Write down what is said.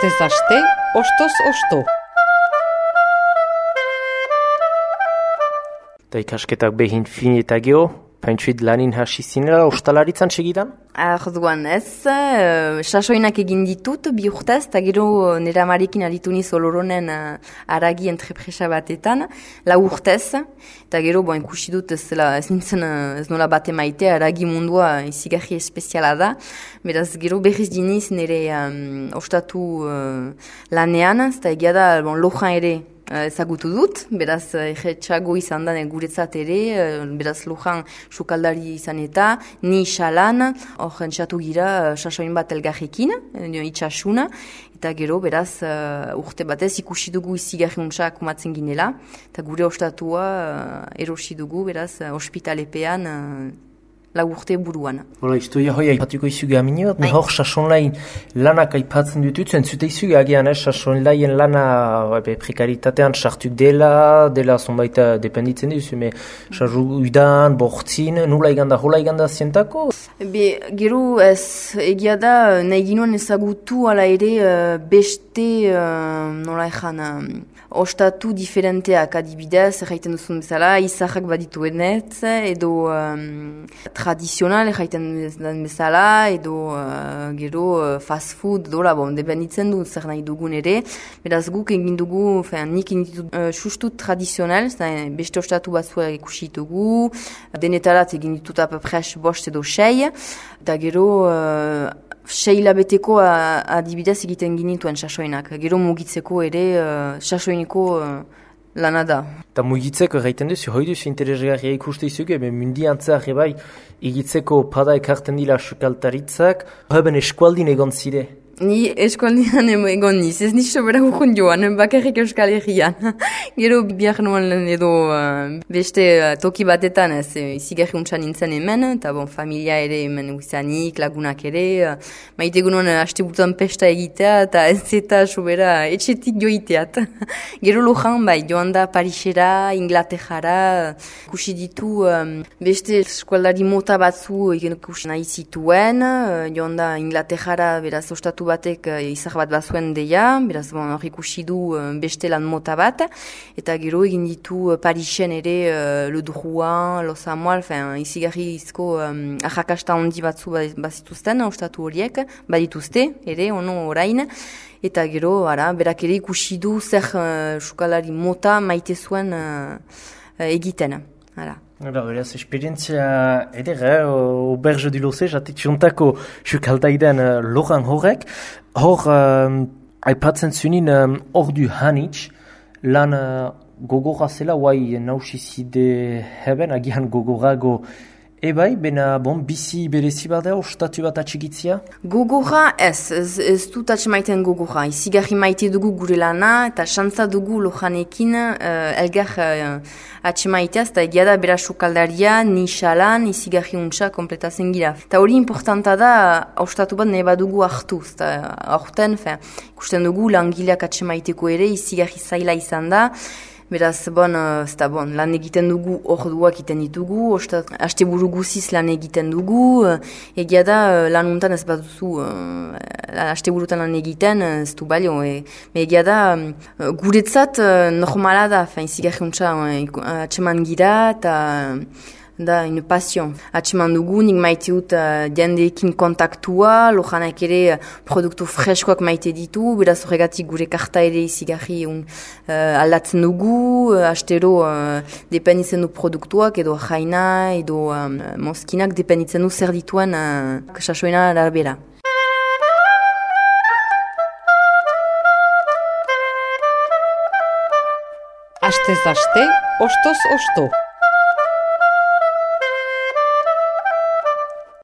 Astez aste, ostoz osto. Da ikasketak behin fin eta geho, paintsuit lanin hasi zinela ostalaritzan segidan? Arduan ez, sasoinak egin ditut, bi urtez, eta gero nera amarekin aritu niz oloronen aragi entrepresa batetan, lau urtez, eta gero ikusi dut ez nola bate maite, aragi mundua izigarri espeziala da, beraz gero berriz diniz nire ostatu lanean, eta egia da lojan ere, ezagutu dut, beraz erretxago izan da guretzat ere, beraz lojan sukaldari izan eta, ni xalan, hor entxatu gira sasoin bat elgarrekin, itxasuna, eta gero beraz urte batez ikusi dugu izigarri untsak kumatzen ginela, eta gure ostatua erosi dugu, beraz ospitalepean lau urte buruan. Hola, historia hoi aipatuko izuge amine bat, hor sasonlain lanak aipatzen dututzen, zute izuge agian, sasonlaien lana prekaritatean sartuk dela zonbait dependitzen duzu, sarru udan, bortzin, hola iganda zientako? Gero ez egia da, nahi ginoen ezagutu ala ere beste, nola ezan, ostatu diferenteak adibidez, erraiten duzun bezala, izahak badituenetz, edo tradizional erraiten den bezala, edo gero fast food, dola, dependitzen du zer nahi dugun ere, beraz guk egin dugu, nik egin ditut sustut tradizional, beste ostatu batzuak ikusi dugu, denetarat egin ditut apapres bost edo sei, eta gero sei labeteko adibidez egiten ginituen sasoinak. Gero mugitzeko ere sasoineko lana da. Eta mugitzeko egiten duzu, hoi duzu interesgarria ikuste izuge, mundiantzeak ebai egitzeko pada ekarten dila sukaltaritzak, haben eskualdin egon zire. Ni eskualdian egon niz, ez niz sobera hukun joan, bakarrik Euskal Herrian. Gero biak nuen edo beste toki batetan ez izigarri untsan nintzen hemen, eta familia ere hemen uizanik, lagunak ere, maite gunuen haste butan pesta egitea, eta ez eta sobera etxetik joiteat. Gero lojan joan da Parisera, Inglaterrara, ikusi ditu beste eskualdari mota batzu ikusi nahi zituen, joan da Inglaterrara beraz ostatu batek izar bat bazuen deia, beraz hor ikusi du beste lan mota bat, eta gero egin ditu Parisen ere Le Drouin, Los Amoal, izigarri izko ahakasta handi batzu bazituzten, ostatu horiek, badituzte ere, ono orain, eta gero, berak ere ikusi du zer sukalari mota maite zuen egiten. Beraz, esperientzia edera, Auberge du Lozé, jatik jontako sukaldaidan loran horrek. Hor, aipatzen zunin, ordu hanitz, lan gogorra zela, guai nausizide heben, agian gogorago ebai, bena bizi berezi bada, ostatu bat atxigitzia? Gogorra ez dut atximaiten gogorra. Izigarri maite dugu gure lana, eta xantza dugu lojanekin elgar atximaiteaz, eta egia da bera sukaldaria, nixalan, izigarri untsa kompletatzen gira. Eta hori importanta da, ostatu bat neba dugu hartuz. Eta aurten, ikusten dugu langileak atximaiteko ere, izigarri zaila izan da. Beraz, lan egiten dugu orduak egiten ditugu, haste buru guziz lan egiten dugu, egia da lan untan ez baduzu, haste burutan lan egiten ez du balio, egia da guretzat normala da, izigarri untsa atseman gira, eta da, une passion. Atseman dugu, nik maite dut jendeekin kontaktua, lojanak ere produktu freskoak maite ditu, beraz horregatik gure karta ere izigarri aldatzen dugu, astero dependitzen du produktuak, edo jaina, edo mozkinak dependitzen du zer dituen sasoina arabera. Astez aste, ostoz osto.